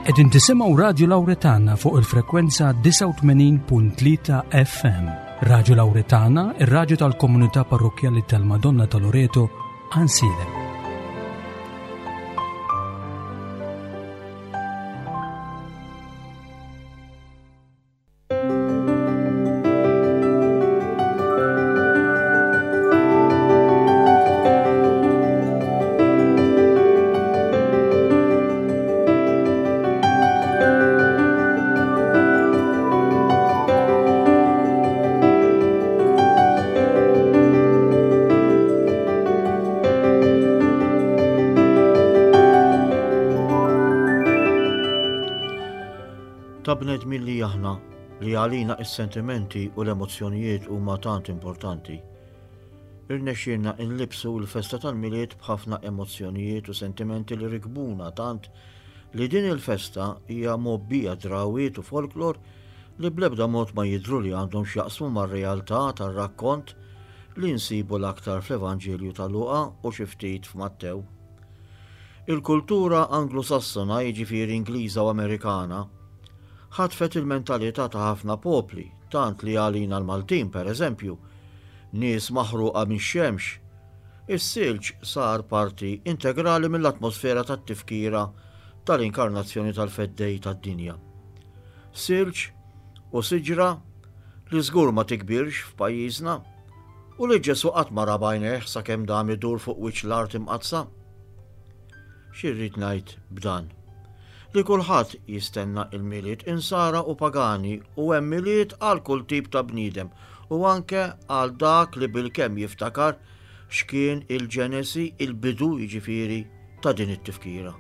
Qegħdin tisimgħu Radju Lawretana fuq il-frekwenza 89.3 FM. Radju Lawretana, ir-radju tal-komunità parrokkjali tal-Madonna ta' Loreto, Ansilem. Ta' bnedmin li aħna li għalina is-sentimenti u l-emozzjonijiet huma tant importanti. Irnexxielna nlibbsu l-festa tal-Milied b'ħafna emozzjonijiet u sentimenti li rikbuna tant li din il-festa hija mgħobbija drawwiet u folklor li bl-ebda mod ma jidhru li għandhom x'jaqsmu mar-realtà tar-rakkont li nsibu l-aktar fl-Evanġelju ta' Luqa u xi ftit f'Mattew. Il-kultura Anglo-Sassona, jiġifieri Ingliża u Amerikana, ħatfet il-mentalità ta' ħafna popli, tant li għalina l-Maltin, pereżempju, nies maħruqa mix-xemx, is-silġ sar parti integrali mill-atmosfera tat-tifkira tal-inkarnazzjoni tal-Feddej tad-dinja. Silġ u siġra li żgur ma tikbirx f'pajjiżna u li Ġesù qatt ma ra b'għajnejh sakemm dam idur fuq wiċċ l-art imqaddsa. Xi rrid ngħid b'dan? Li kulħadd jistenna il-Milied insara u pagani u hemm Milied għal kull tip ta' bniedem u anke għal dak li bilkemm jiftakar x'kien il-ġenesi, il-bidu jiġifieri ta' din it-tifkira.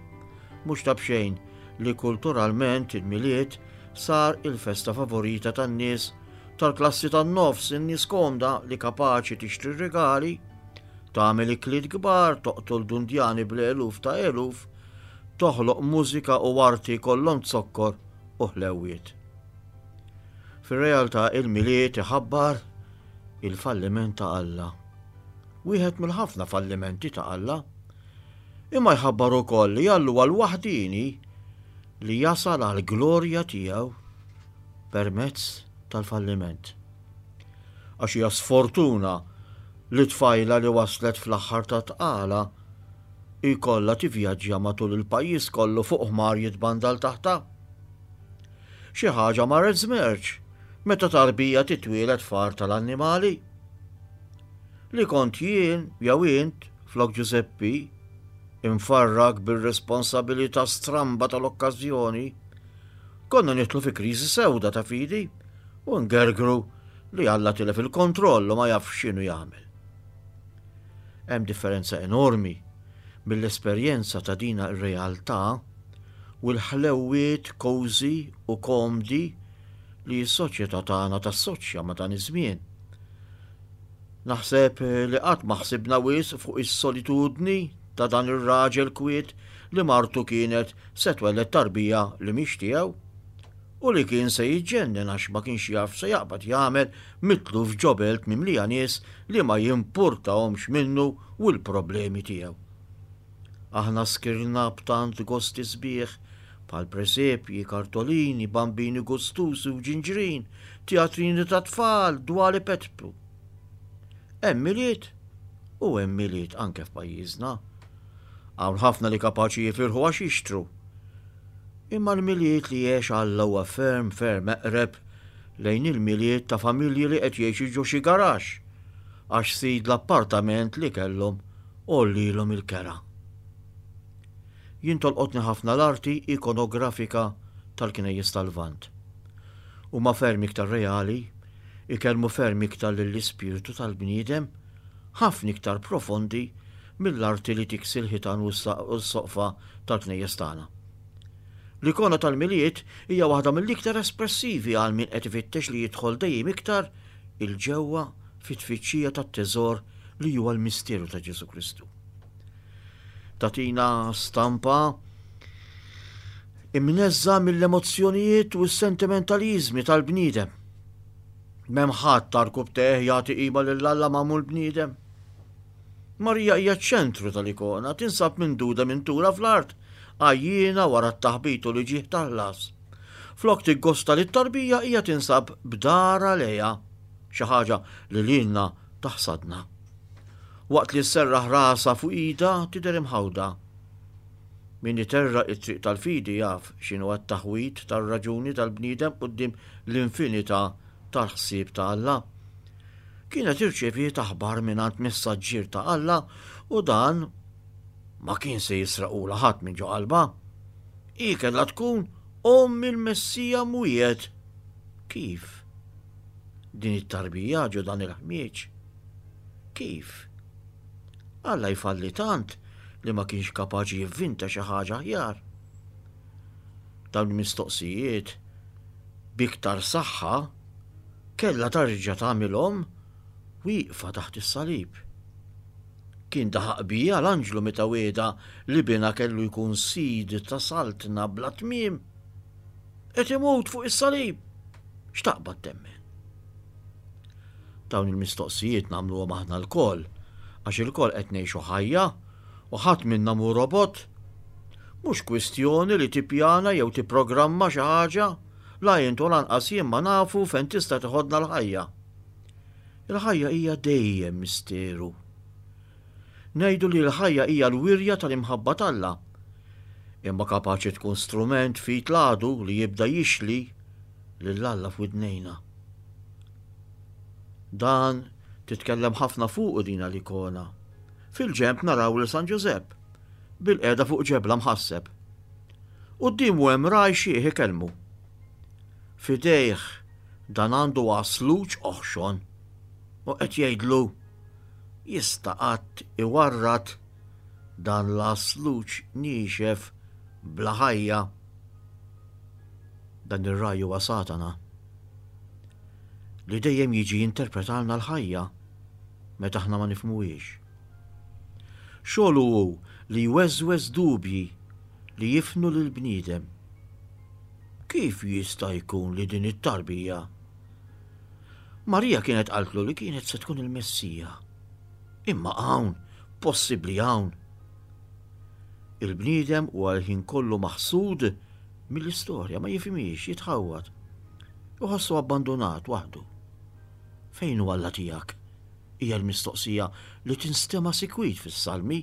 Mhux ta' b'xejn li kulturalment il-Milied sar il-festa favorita tan-nies tal-klassi tan-nofs, in-nies komda li kapaċi tixtri rigali, tagħmel ikliet kbar, toqtol dundjani bl-eluf ta' eluf, toħloq mużika u arti kollhom zokkor u ħlewwiet. Fir-realtà il-Milied iħabbar il-falliment ta' Alla. Wieħed mill-ħafna fallimenti ta' Alla. Imma jħabbar ukoll li Alla huwa l-waħdieni li jasal għall-glorja tiegħu permezz tal-falliment. Għax hija sfortuna li tfajla li waslet fl-aħħar ta' tqala jkollha tivvjaġġja matul il-pajjiż kollu fuq ħmar jitbandal taħtha. Xi ħaġa marret żmerċ meta tarbija titwieled f'għar tal-annimali. Li kont jien jew int flok Ġużeppi, imfarrak bir-responsabilità stramba tal-okkażjoni, konna nidħlu fi kriżi sewda ta' fidi u ngergru li Alla tilef il-kontroll u ma jafx x'inhu jagħmel. Hemm differenza enormi mill-esperjenza ta' dina r-realtà u l-ħlewwiet cozy u komdi li s-soċjetà tagħna tassoċja ma' dan iż-żmien. Naħseb li qatt ma ħsibna wisq fuq is-solitudni ta' dan ir-raġel kwiet li martu kienet se twelled tarbija li mhix tiegħu u li kien se jiġġennen għax ma kienx jaf se jaqbad jagħmel mitluf ġo belt mimlija nies li ma jimpurtahomx minnu u l-problemi tiegħu. Aħna skirna b'tant gosti sbieħ bħal presepji, kartolini, bambini gustużi u ġinġrin, teatrini ta' tfal, dwali petplu. Hemm Milied u hemm Milied anke f'pajjiżna. Hawn ħafna li kapaċi jifirħu għax jixtru. Imma l-Milied li għex Alla huwa ferm ferm eqreb lejn il-Milied ta' familji li qed jgħixu ġo xi garaxx għax sid l-appartament li kellhom għollilhom il-kera. Jien tolqotni ħafna l-arti ikonografika tal-knejjes tal-Lvant. Huma ferm iktar reali, ikellmu ferm iktar lill-ispirtu tal-bniedem, ħafna iktar profondi mill-arti li tiksi l-ħitan u s-soqfa tal-knejjes tagħna. L-ikona tal-Milied hija waħda mill-iktar espressivi għal min qed ifittex li jidħol dejjem iktar 'il ġewwa fit-tfittxija tat-teżor li huwa l-misteru ta' Ġesù Kristu. Tagħtina stampa imneżża mill-emozzjonijiet u s-sentimentaliżmi tal-bniedem. M'hemm ħadd tarkub teħ jagħti qima lil Alla magħmul bniedem. Marija hija ċ-ċentru tal-ikona, tinsab minduda minn tura fl-art. Għajjiena wara t-taħbit u l-iġieħ tal-ħlas. Flok tiggosta lit-tarbija hija tinsab b'darha lejha, xi ħaġa li lilna taħsadna. Waqt li sserraħ rasha fuq idha tidher imħawda. Min iterraq it-triq tal-fidi jaf x'inhu t-taħwid tar-raġuni tal-bniedem quddiem l-infinità tal-ħsieb ta' Alla. Kienet irċeviet aħbar mingħand messaġġier ta' Alla u dan ma kien se jisraqulha ħadd minn ġo qalbha. Hi kellha tkun omm il-Messija mwiegħed. Kif? Din it-tarbija ġo dan il-ħmieġ? Kif? Alla jfalli tant li ma kienx kapaċi jivvinta xi ħaġa aħjar. Dawn il-mistoqsijiet b'iktar saħħa kellha tarġa' tagħmilhom wieqfa taħt is-salib. Kien daħaq biha l-anġlu meta wiegħda li binha kellu jkun sid ta' saltna bla tmiem. Qed imut fuq is-salib. X'taqbad temmen? Dawn il-mistoqsijiet nagħmluhom aħna lkoll, għax ilkoll qed ngħixu ħajja u ħadd minna mhu robot. Mhux kwistjoni li tippjana jew tipprogramma xi ħaġa, la int u lanqas jien ma nafu fejn tista' teħodna l-ħajja. Il-ħajja hija dejjem misteru. Ngħidu li l-ħajja hija l-wirja tal-imħabba t'Alla. Imma kapaċi tkun strument f'id l-għadu li jibda jixli lil Alla f'widnejna. Dan titkellem ħafna fuqu dina l-ikona. Fil-ġenb naraw lil San Ġużepp, bilqiegħda fuq ġebla mħasseb. Quddiemu hemm ragħaj xiħ ikellmu. F'idejh dan għandu għasluġ oħxon u qed jgħidlu, Jista' qatt iwarrad dan l-għasluġ niexef bla ħajja? Dan ir-ragħaj huwa Satana, li dejjem jiġi jinterpretalna l-ħajja meta aħna ma nifhmuhiex. Xogħlu hu li jweżweż dubji li jifnu lill-bniedem. Kif jista' jkun li din it-tarbija? Marija kienet qaltlu li kienet se tkun il-Messija. Imma hawn, possibbli hawn. Il-bniedem huwa l-ħin kollu maħsud mill-istorja, ma jifhimhiex, jitħawwad. Iħossu abbandunat waħdu. Fejn hu Alla tiegħek? Hija l-mistoqsija li tinstema' sikwit fis-Salmi.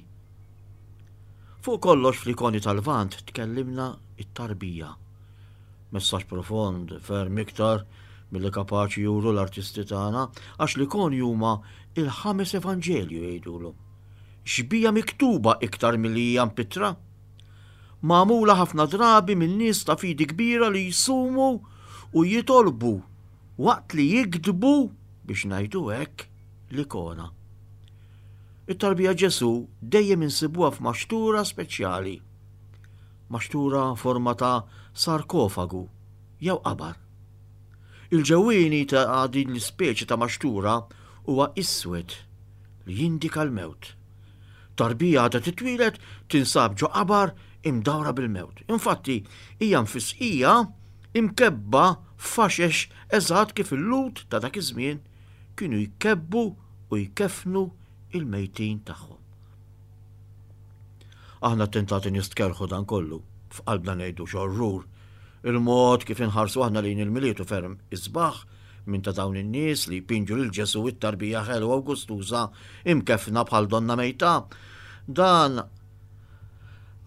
Fuq kollox fl-ikoni tal-Lvant tkellimna t-tarbija. Messaġġ profond, ferm iktar milli kapaċi juru l-artisti tagħna, għax l-ikoni huma il-ħames evanġelju jgħidulhom. Xbija miktuba iktar milli hija mpittra. Magħmula ħafna drabi minn nies ta' fidi kbira li jsumu u jitolbu waqt li jiktbu biex ngħidu hekk l-ikona. It-tarbija Ġesù dejjem insibuha f'maxtura speċjali. Maxtura forma ta' sarkofagu jew qabar. Il-ġewwieni ta' din l-ispeċi ta' maxtura huwa iswed li jindika l-mewt. Tarbija għadha titwieled tinsab ġo qabar imdawra bil-mewt. Infatti, hija mfisqija imkebba f'faxex eżatt kif il-Lhud ta' dak iż-żmien kienu jkebbu u jkeffnu il-mejtin tagħhom. Aħna tentati nistkerrħu dan kollu, f'qalbna ngħidu x'orrur. Il-mod kif inħarsu aħna lejn il-Milied hu ferm isbaħ minn ta' dawn in-nies li jpinġu lil Ġesù it-tarbija ħelwa u gustuża imkeffna bħal donna mejta. Dan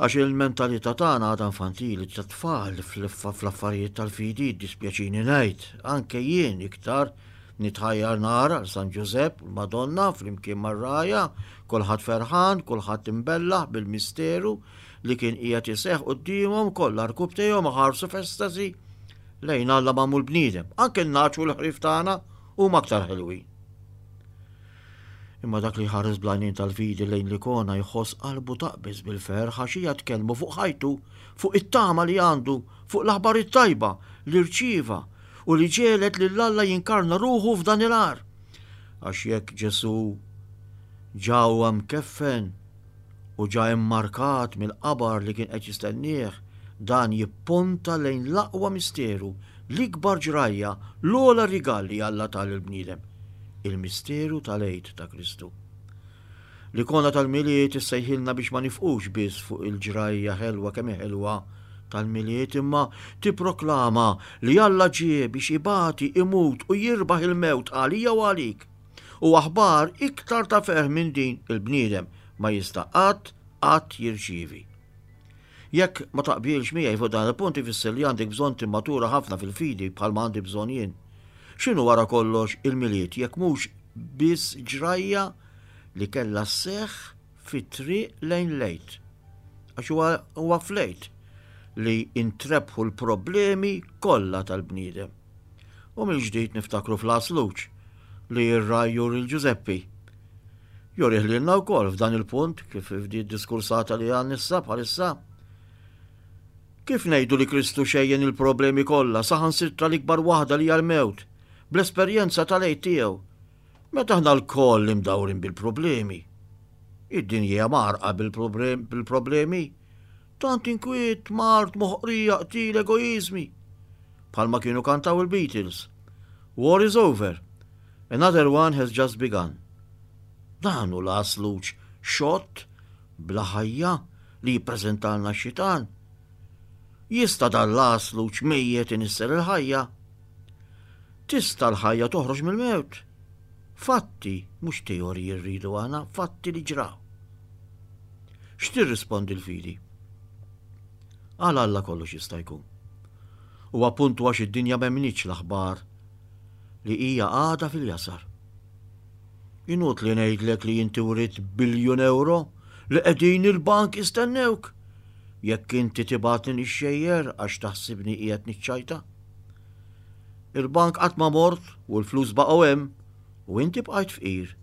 għax il-mentalità tagħna għadha infantili ta' tfal fl-affarijiet tal-fidi, jiddispjaċini ngħid, anke jien iktar Nitħajjar nara 'l San Ġużepp u l-Madonna flimkien mar-rgħajja, kulħadd ferħan, kulħadd imbellaħ bil-misteru li kien qiegħed iseħħ quddiemhom, kollha rkubbtejhom iħarsu f'estasi lejn Alla magħmul bniedem. Anke n-nagħaġ u l-ħrief tagħna huma aktar ħelwin. Imma dak li jħares bl-għajnejn tal-fidi lejn l-ikona jħoss qalbu taqbeż bil-ferħ għax hija tkellmu fuq ħajtu, fuq it-tama li għandu, fuq l-aħbar it-tajba li rċieva u li ġegħlet lil Alla jinkarna ruħu f'dan il-għar. Għax jekk Ġesù ġa huwa mkeffen u ġa immarkat mill-qabar li kien qed jistennieh, dan jipponta lejn l-aqwa misteru, l-ikbar ġrajja, l-ogħla rigal li Alla ta lill-bniedem, il-misteru tal-Għid ta' Kristu. L-ikona tal-Milied issejħilna biex ma nifqux biss fuq il-ġrajja ħelwa kemm ħelwa tal-Milied imma tipproklama li Alla ġie biex ibati, imut u jirbaħ il-mewt għalija u għalik. U aħbar iktar ta' ferħ minn din il-bniedem ma jista' qatt qatt jirċievi. Jekk ma taqbilx miegħi fuq dan il-punt ifisser li għandek bżonn timmatura ħafna fil-fidi bħalma għandi bżonn jien. X'inhu wara kollox il-Milied jekk mhux biss ġrajja li kellha sseħħ fit-triq lejn l-Għid? Għax huwa fl-Għid li intrebħu l-problemi kollha tal-bniedem. U mill-ġdid niftakru fl-għasluġ li r-ragħaj juri 'l Ġużeppi. Jurih lilna wkoll f'dan il-punt kif f'di diskursata li għan issa bħalissa. Kif ngħidu li Kristu xejjen il-problemi kollha saħansitra l-ikbar waħda li hija l-mewt, bl-esperjenza tal-Għid tiegħu, meta aħna lkoll imdawrin bil-problemi. Id-dinja hija mgħarrqa bil-problemi. Tant inkwiet, mard, moħqrija, qtil, egoiżmi. Bħalma kienu kantaw il-Beatles. War is over. Another one has just begun. Dan hu l-għasluġ xott bla ħajja li jippreżentalna x-xitan. Jista' dan l-għasluġ mejjet inissel il-ħajja? Tista' l-ħajja toħroġ mill-mewt? Fatti, mhux teoriji rridu aħna, fatti li ġraw. X'tirrispondi l-fidi? Għal Alla kollox jista' jkun. U appuntu għax id-dinja m'emmnitx l-aħbar li hija għadha fil-jasar. Inutli ngħidlek li inti writt biljun ewro li qegħdin il-bank jistennewk. Jekk inti tibgħatni nixxejjer għax taħsibni qiegħed niċċajta. Il-bank qatt ma mort u l-flus baqgħu hemm u inti bqajt fqir.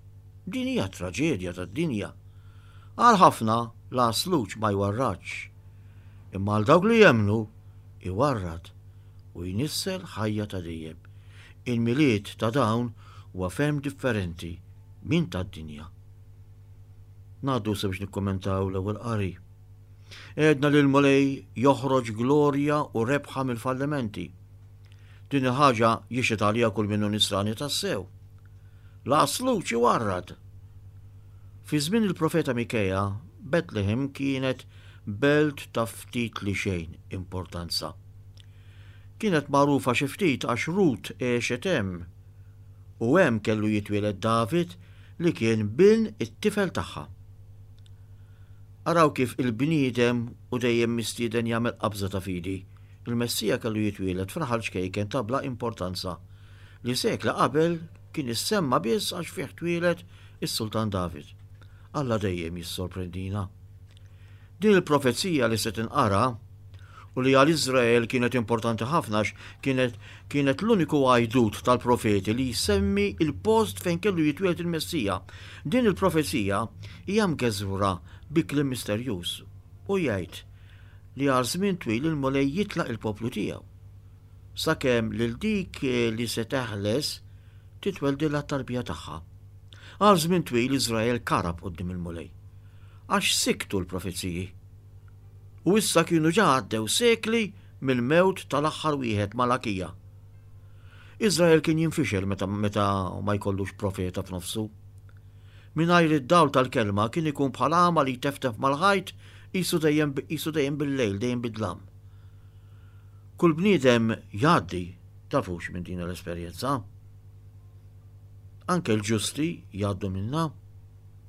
Din hija traġedja tad-dinja. Għal ħafna l-għasluġ ma jwarradx. Imma għal dawk li jemmnu iwarrad u jnissel ħajja ta' dejjem. Il-Milied ta' dawn huwa ferm differenti minn tad-dinja. Ngħaddu issa biex nikkommentaw l-ewwel qari. Għedna li l-Mulej joħroġ glorja u rebħa mill-fallimenti. Din il-ħaġa jixhed għaliha kull min hu nisrani tassew. L-għasluċ iwarrad. Fi żmien il-profeta Mikeja, Betlehem kienet belt ta' ftit li xejn importanza. Kienet magħrufa xi ftit għax Rut għexet hemm u hemm kellu jitwieled David li kien bin it-tifel tagħha. Araw kif il-bniedem hu dejjem mistieden jagħmel qabża ta' fidi. Il-Messija kellu jitwieled f'raħal ċkejken ta' bla importanza li sekli qabel kien issemma biss għax fih twieled is-Sultan David. Alla dejjem jissorprendina. Din il-profezija li se tinqara u li għal Iżrael kienet importanti ħafna għax kienet kienet l-uniku għajdut tal-profeti li jsemmi il-post fejn kellu jitwieled il-Messija. Din il-profezija hija mgeżwra bi kliem misterjuż u jgħid li għal żmien twil il-Mulej jitlaq il-poplu tiegħu. Sakemm lil dik li se teħles titweldilha t-tarbija tagħha. Għal żmien twil Iżrael karab quddiem il-Mulej. Għax siktu l-profeziji. U issa kienu ġa għaddew sekli mill-mewt tal-aħħar wieħed, Malakija. Iżrael kien jinfixel meta, meta ma jkollux profeta f'nofsu. Mingħajr id-dawl tal-kelma kien ikun bħal għama li jteftef mal-ħajt qisu dejjem qisu dejjem bil-lejl, dejjem bid-dlam. Kull bniedem jgħaddi, tafux minn din l-esperjenza. Anke l-ġusti jgħaddu minnha.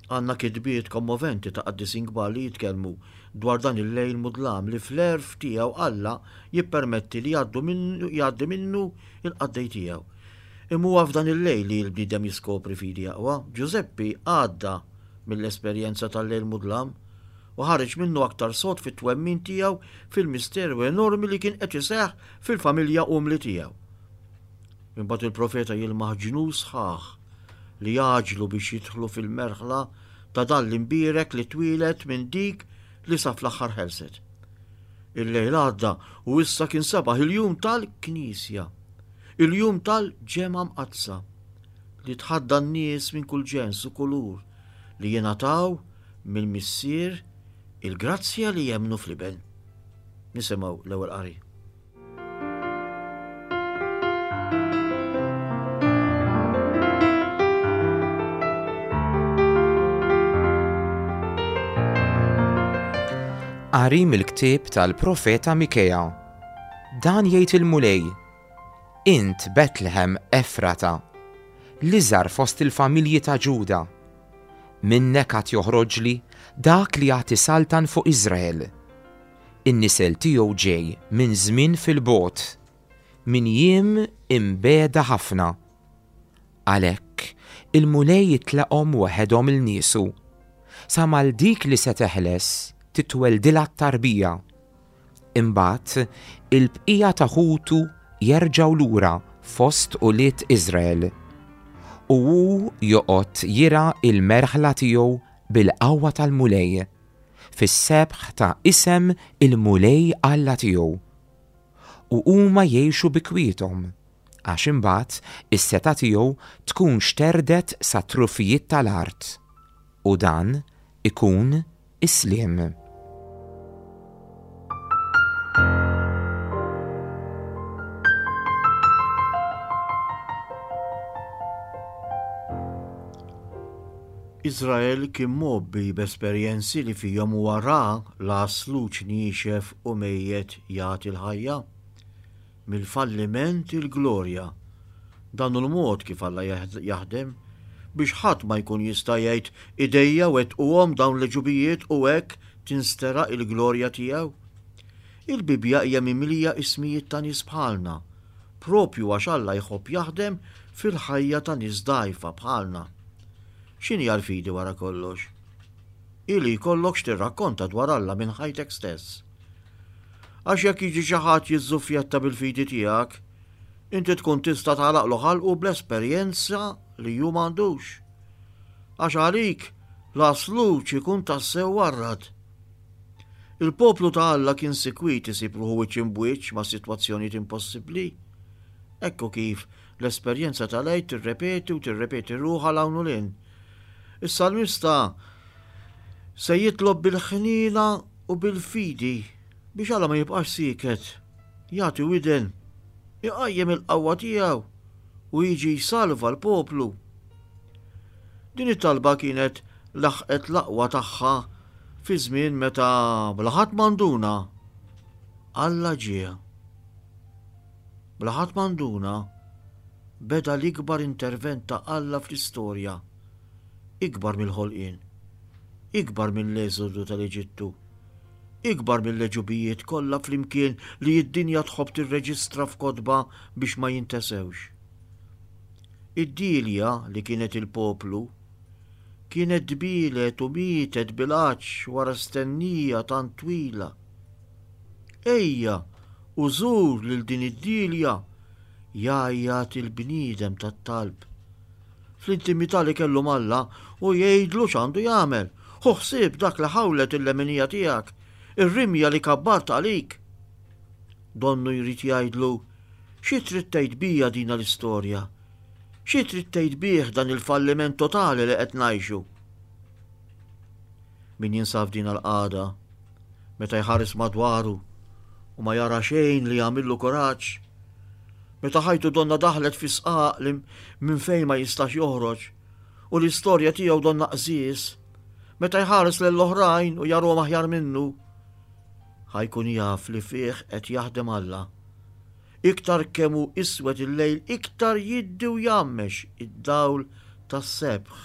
Għandna kitbiet kommoventi ta' qaddisin kbar li jitkellmu dwar dan il-lejl mudlam li fl-għerf tiegħu Alla jippermetti li jgħaddu minnu jgħaddi minnu l-qaddej tiegħu. Imma huwa f'dan il-lejl li l-bniedem jiskopri fidi aqwa. Ġużeppi għadda mill-esperjenza tal-lejl mudlam u ħareġ minnu aktar sod fit-twemmin tiegħu fil-misteru enormi li kien qed iseħħ fil-familja umli tiegħu. Imbagħad il-profeta jilmaħ ġnus sħaħ li jgħaġġlu biex jidħlu fil-merħla ta' dan l-imbierek li twieled minn dik li sa fl-aħħar ħelset. Il-lejl għadda u issa kien sebaħ il-jum tal-Knisja, il-jum tal-ġemgħa mqaddsa li tħaddan nies minn kull ġens u kulur li jingħataw mill-Missier il-grazzja li jemmnu fl-Iben. Nisimgħu l-ewwel qari. Qari mill-ktieb tal-profeta Mikea. Dan jgħid il-Mulej, Int Betlehem Efrata, l-iżgħar fost il-familji ta' Ġuda. Minnek għad joħroġli dak li għad isaltan fuq Iżrael. In-nisel tiegħu ġej minn żmien fil-bogħod, minn jiem imbiegħda ħafna. Għalhekk, il-Mulej jitlaqhom waħedhom 'il niesu, sa ma 'l dik li se teħles titweldilha t-tarbija. Imbagħad il-bqija ta' ħutu jerġgħu lura fost ulied Iżrael. U hu joqgħod jirgħa l-merħla tiegħu bil-qawwa tal-Mulej, fis-sebħ ta' isem il-Mulej Alla tiegħu. U huma jgħixu bi kwiethom, għax imbagħad is-setgħa tiegħu tkun xterdet sat-trufijiet tal-art, u dan ikun is-sliem. Iżrael kien mgħobbi b'esperjenzi li fihom huwa ra l-għasluġ niexef u mejjet jagħti l-ħajja. Mill-falliment il-glorja. Dan hu l-mod kif Alla jaħdem, biex ħadd ma jkun jista' jgħid, 'Idejja wettquhom dawn l-għeġubijiet' u hekk tinsteraq il-glorja tiegħu. Il-Bibbja hija mimlija ismijiet ta' nies bħalna, proprju għax Alla jħobb jaħdem fil-ħajja ta' nies dgħajfa bħalna. X'inhi l-fidi wara kollox? Hi li jkollok x'tirrakkonta dwar Alla minn ħajtek stess. Għax jekk jiġi xi ħadd jiżżuffjetta bil-fidi tiegħek, inti tkun tista' tagħlaqlu ħalqu bl-esperjenza li hu m'għandux. Għax għalik l-għasluġ ikun tassew warrad. Il-poplu ta' Alla kien sikwit isib ruħu wiċċ imbwiċċ ma' sitwazzjonijiet impossibbli. Ekku kif l-esperjenza tal-Għid tirrepeti u tirrepeti ruħha 'l hawn u 'l hinn. Is-salmista se jitlob bil-ħniena u bil-fidi biex Alla ma jibqax sieket, jagħti widen, iqajjem il-qawwa tiegħu u jiġi jsalva l-poplu. Din it-talba kienet laħqet l-aqwa tagħha fi żmien meta bla ħadd ma nduna, Alla ġie. Bla ħadd ma nduna, beda l-ikbar intervent ta' Alla fl-istorja, ikbar mill-ħolqien, ikbar mill-eżodu tal-Eġittu, ikbar mill-għeġubijiet kollha flimkien li d-dinja tħobb tirreġistra f'kotba biex ma jintesewx. Id-dielja li kienet il-poplu kienet dbielet u mietet bil-għatx wara stennija tant twila. Ejja u żur lil din id-dielja, jgħajjat il-bniedem tat-talb. Fl-intimità li kellu m'Alla, hu jgħidlu x'għandu jagħmel. Ħu ħsieb dak li ħawlet il-leminija tiegħek, ir-rimja li kabbart għalik. Donnu jrid jgħidlu, Xi trid tgħid bija dina l-istorja? Xi trid tgħid bih dan il-falliment totali li qed ngħixu? Min jinsab f'dina l-qagħda, meta jħares madwaru u ma jara xejn li jagħmillu kuraġġ, meta ħajtu donna daħlet fi sqaq li minn fejn ma jistax joħroġ u l-istorja tiegħu donna qżież, meta jħares lill-oħrajn u jarhom aħjar minnu, ħa jkun jaf li fih qed jaħdem Alla. Iktar kemm hu iswed il-lejl iktar jiddi u jgħammex id-dawl tas-sebħ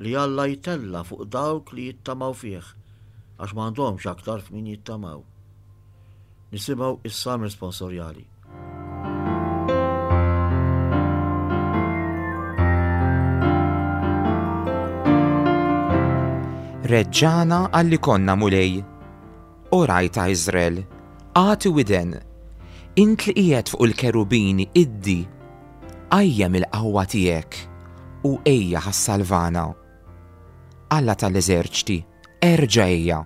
li Alla jtella' fuq dawk li jittamaw fih, għax ma għandhomx aktar f'min jittamaw. Nisimgħu is-Salm Responsorjali. Reġġagħna għalli konna, Mulej, O ragħaj ta' Iżrael, agħti widen! Int li qiegħed fuq il-kerubini iddi, qajjem il-qawwa tiegħek u ejja ħa ssalvana. Alla tal-eżerċti, erġa' ejja!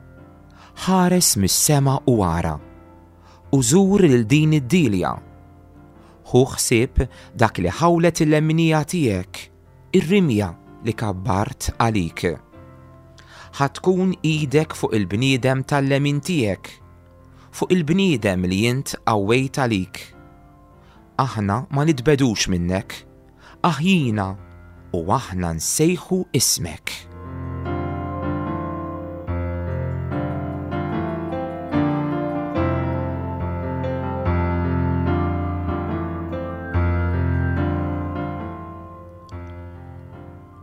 Ħares mis-sema u ara, u żur lil din id-dielja. Ħu ħsieb dak li ħawlet il-lemminija tiegħek, Ir-rimja li kabbart għalik. Ħa tkun idek fuq il-bniedem tal-lemin tiegħek, fuq il-bniedem li int qawwejt għalik. Aħna ma nitbegħdux minnek, aħjina u aħna nsejħu ismek.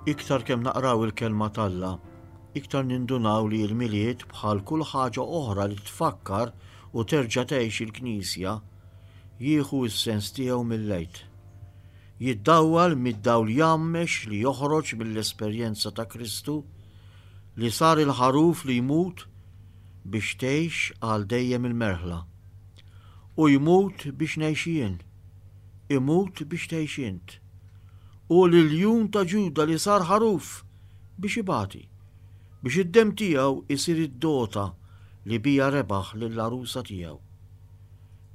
Iktar kemm naqraw il-Kelma t'Alla, iktar nindunaw li l-Milied bħal kull ħaġa oħra li tfakkar u terġa' tgħix il-Knisja, jieħu s-sens tiegħu mill-Għid. Jiddawwal mid-dawl jgħammex li joħroġ mill-esperjenza ta' Kristu li sar il-ħaruf li jmut biex tgħix għal dejjem il-merħla. Hu jmut biex ngħix jien. Imut biex tgħix int. Hu l-iljun ta' Ġuda li sar ħaruf biex ibati, biex id-demm tiegħu jsir id-dota li biha rebaħ lill-għarusa tiegħu.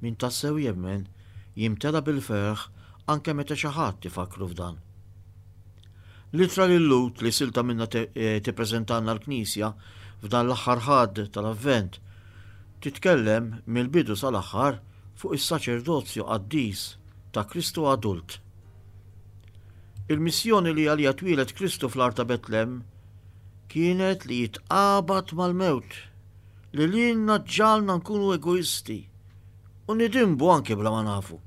Min tassew jemmen jimtela bil-ferħ anke meta xi ħadd ifakkru f'dan. L-ittra lil-Lhud li silta minnha tippreżentalna l-Knisja f'dan l-aħħar Ħadd tal-Avvent titkellem mill-bidu sal-aħħar fuq is-saċerdozju qaddis ta' Kristu adult. Il-missjoni li għaliha twieled Kristu fl-għar ta' Betlem kienet li jitqabad mal-mewt li lilna ġġagħalna nkunu egoisti u nidinbu anke bla ma nafu.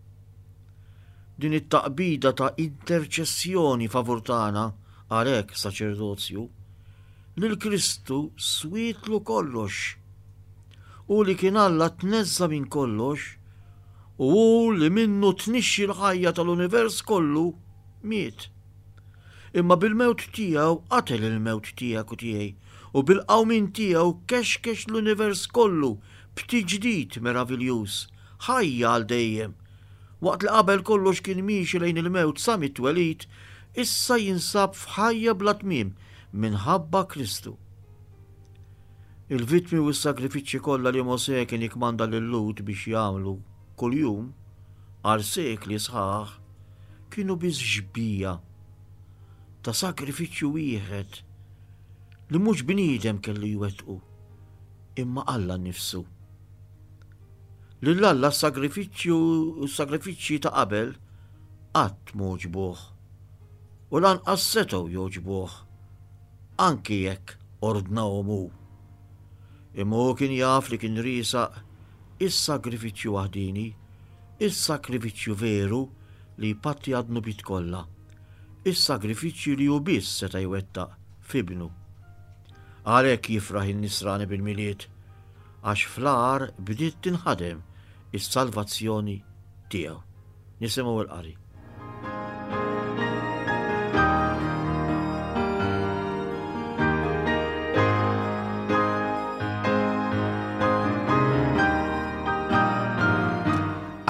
Din it-taqbida ta' interċessjoni favur tagħna, għalhekk saċerdozju, lil Kristu swietlu kollox. Hu li kien Alla tneżża' minn kollox u hu li minnu tnixxi l-ħajja tal-univers kollu miet. Imma bil-mewt tiegħu qatel il-mewt tiegħek u tiegħi u bil-qawmien tiegħu kexkex l-univers kollu b'tiġdid meraviljuż, ħajja għal dejjem. Waqt li qabel kollox kien miexi lejn il-mewt sa mit-twelid, issa jinsab f'ħajja bla tmiem minħabba Kristu. Il-vittmi u s-sagrifiċċji kollha li Mosè kien jikkmanda lil-Lhud biex jagħmlu kuljum għal sekli sħaħ kienu biss xbieha ta' sagrifiċċju wieħed li mhux bniedem kellu jwettqu, imma Alla nnifsu. Lil Alla s-sagrifiċċju u s-sagrifiċċji ta' qabel qatt m'għoġbuh u lanqas setgħu jogħġbuh anki jekk ordnahom hu. Imma hu kien jaf li kien riesaq is-sagrifiċċju waħdieni, is-sagrifiċċju veru li jpatti għad-dnubiet kollha, is-sagrifiċċju li hu biss seta' jwettaq f'Ibnu. Għalhekk jifraħ in-Nisrani bil-Milied, għax fl-għar bdiet tinħadem is-salvazzjoni tiegħu. Nisimgħu l-qari.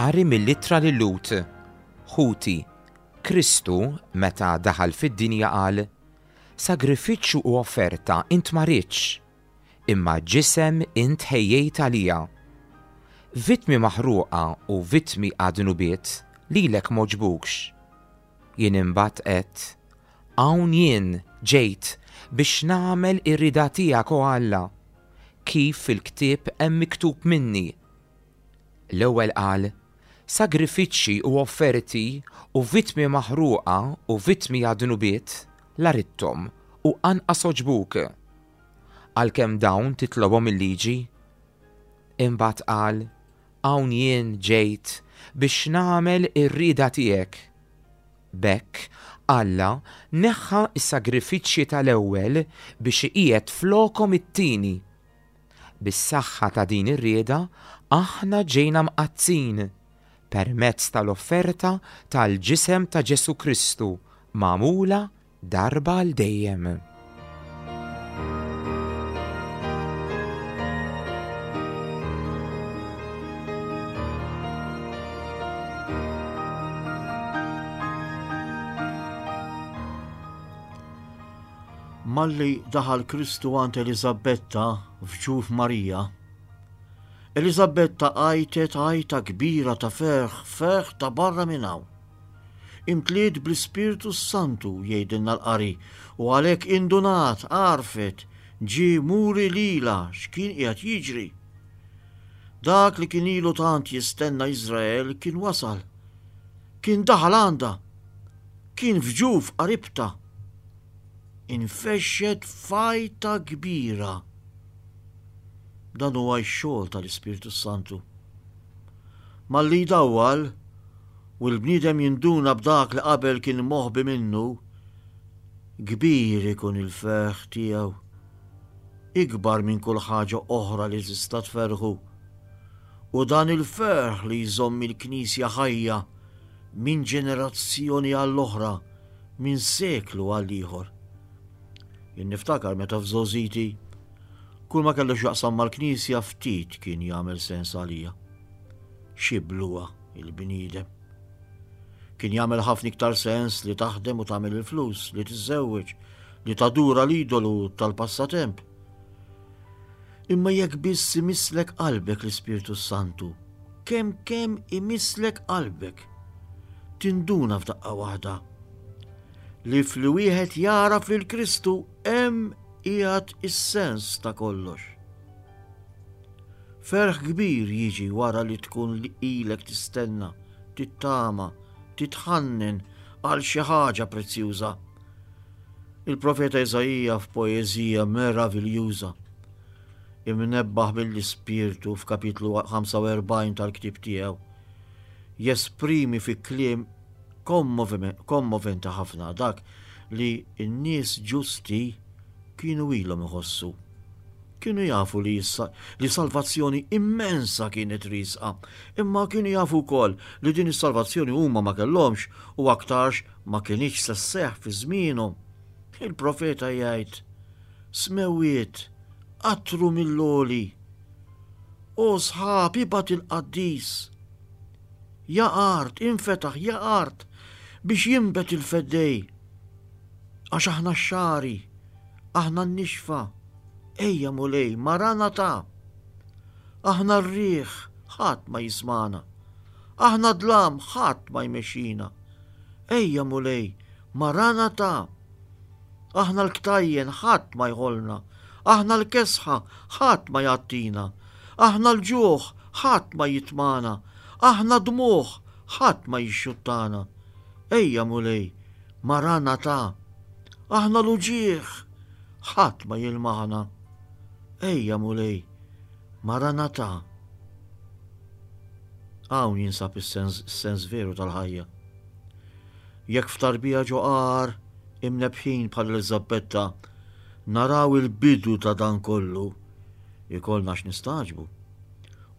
Qari mill-ittra lil Lut, Ħuti, Kristu meta daħal fid-dinja qal, Sagrifiċċju u offerta int ma ridtx, imma ġisem int ħejjejt għalija. Vittmi maħruqa u vittmi għad-dnubiet lilek m'għoġbukx. Jien imbagħad għedt, Hawn jien, ġejt, biex nagħmel ir-rieda tiegħek, o Alla, kif fil-ktieb hemm miktub minni. L-ewwel qal, Sagrifiċċji u offerti u vittmi maħruqa u vittmi għad-dnubiet la ridthom u anqas għoġbuk. Għalkemm dawn titlobhom il-liġi. Imbagħad qal, Hawn jien ġejt biex nagħmel ir-rieda tiegħek. B'hekk, Alla neħħa s-sagrifiċċji tal-ewwel biex iqiegħed flokhom it-tieni. Bis-saħħa ta' din ir-rieda aħna ġejna mqaddsin permezz tal-offerta tal-ġisem ta' Ġesù Kristu magħmula darba għal dejjem. Malli daħal Kristu għand Eliżabetta f'ġuf Marija, Eliżabetta għajtet għajta kbira ta' ferħ, ferħ ta' barra minn hawn. Imtliet bl-Ispirtu s-Santu, jgħidilna l-qari, u għalhekk indunat, għarfet, ġie muri lilha x'kien qiegħed jiġri. Dak li kien ilu tant jistenna Iżrael kien wasal. Kien daħal għandha. Kien f'ġuf qaribtha. Infexxet f'għajta kbira. Dan huwa x-xogħol tal-Ispirtu s-Santu. Malli jdawwal u l-bniedem jinduna b'dak li qabel kien moħbi minnu, Kbir ikun il-ferħ tiegħu, ikbar minn kull ħaġa oħra li tista' tferrħu. U dan il-ferħ li jżomm il-Knisja ħajja minn ġenerazzjoni għall-oħra, minn seklu għal ieħor. Jien niftakar meta f'żgħożiti kull ma kellu x'jaqsam mal-Knisja ftit kien jagħmel sens għalija. Xi bluha il-bniedem. Kien jagħmel ħafna iktar sens li taħdem u tagħmel il-flus, li tiżżewweġ, li tadura l-idolu tal-passatemp. Imma jekk biss imisslek qalbek l-Ispirtu Santu, kemm kemm imisslek qalbek, tinduna f'daqqa waħda li fli wieħed jagħraf lil Kristu hemm qiegħed is-sens ta' kollox. Ferħ kbir jiġi wara li tkun li ilek tistenna, tittama, titħannen għal xi ħaġa prezzjuża. Il-profeta Iżaija f'poeżija meraviljuża imnebbaħ mill-Ispirtu f'kapitlu 45 tal-ktieb tiegħu jesprimi fi kliem kommoventi ħafna dak li n-nies ġusti kienu ilhom iħossu. Kienu jafu li, li salvazzjoni immensa kienet riesqa, imma kienu jafu wkoll li din is-salvazzjoni huma ma kellhomx u aktarx ma kinitx se sseħħ fi żmienhom. Il-profeta jgħid, Smewwiet, qattru mill-għoli. O sħab, ibgħat il-qaddis. Ja art, infetaħ, ja art, biex jinbet il-feddej. Għax aħna x-xagħri, aħna n-nixfa, ejja Mulej, Maranatha! Aħna r-riħ, ħadd ma jismagħna. Aħna d-dlam, ħadd ma jmexxina. Ejja Mulej, Maranatha! Aħna l-ktajjen, ħadd ma jħollna. Aħna l-kesħa, ħadd ma jgħattina. Aħna l-ġuħ, ħadd ma jitmagħna. Aħna d-dmugħ, ħadd ma jixxuttana. Ejja Mulej, Maranatha! Aħna l-uġigħ, ħadd ma jilmaħna. Ejja Mulej, Maranatha! Hawn jinsab is-sens veru tal-ħajja. Jekk f'tarbija ġo għar imnebbħin bħal Eliżabetta naraw il-bidu ta' dan kollu, ikollna x'nistagħġbu.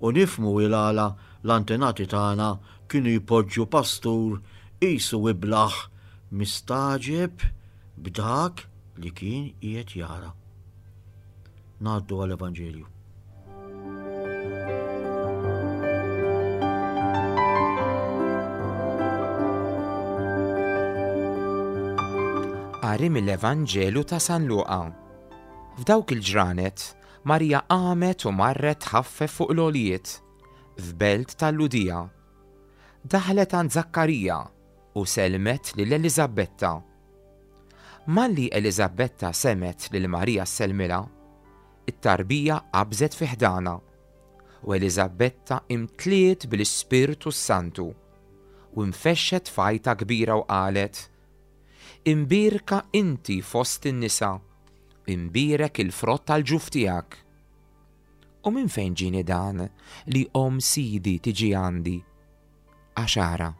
U nifhmu il-għala l-antenati tagħna kienu jpoġġu pastur qisu iblah mistagħġeb b'dak li kien qiegħed jara. Ngħaddu għall-Evanġelju. Qari mill-Evanġelu ta' San Luqa. F'dawk il-ġranet, Marija qamet u marret tħaffef fuq l-għoljiet, f'belt tal-Lhudija. Daħlet għand Żakkarija u sellmet lil Eliżabetta. Malli Eliżabetta semgħet lil Marija ssellmilha, it-tarbija qabżet fi ħdanha, u Eliżabetta imtliet bl-Ispirtu s-Santu, u nfexxet f'għajta kbira u qalet, Imbierka inti fost in-nisa, imbierek il-frott tal-ġuf tiegħek. U minn fejn ġieni dan li omm Sidi tiġi għandi? Għax ara,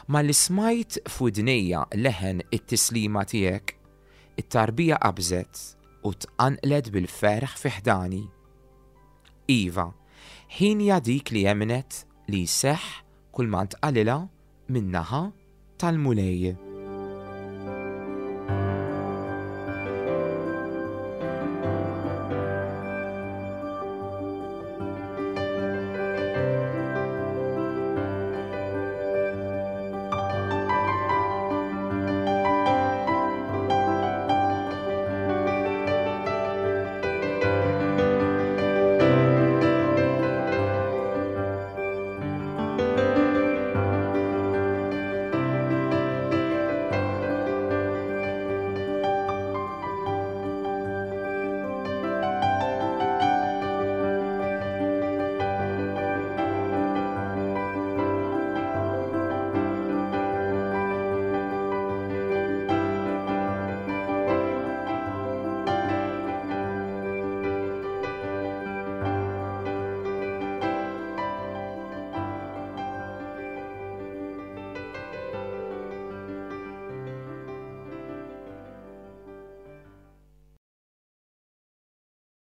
malli smajt f'widnejja leħen it-tislima tiegħek, it-tarbija qabżet u tqanqlet bil-ferħ fi ħdani. Iva, ħienja dik li emmnet li jseħħ kulma ntqalilha min-naħa tal-Mulej.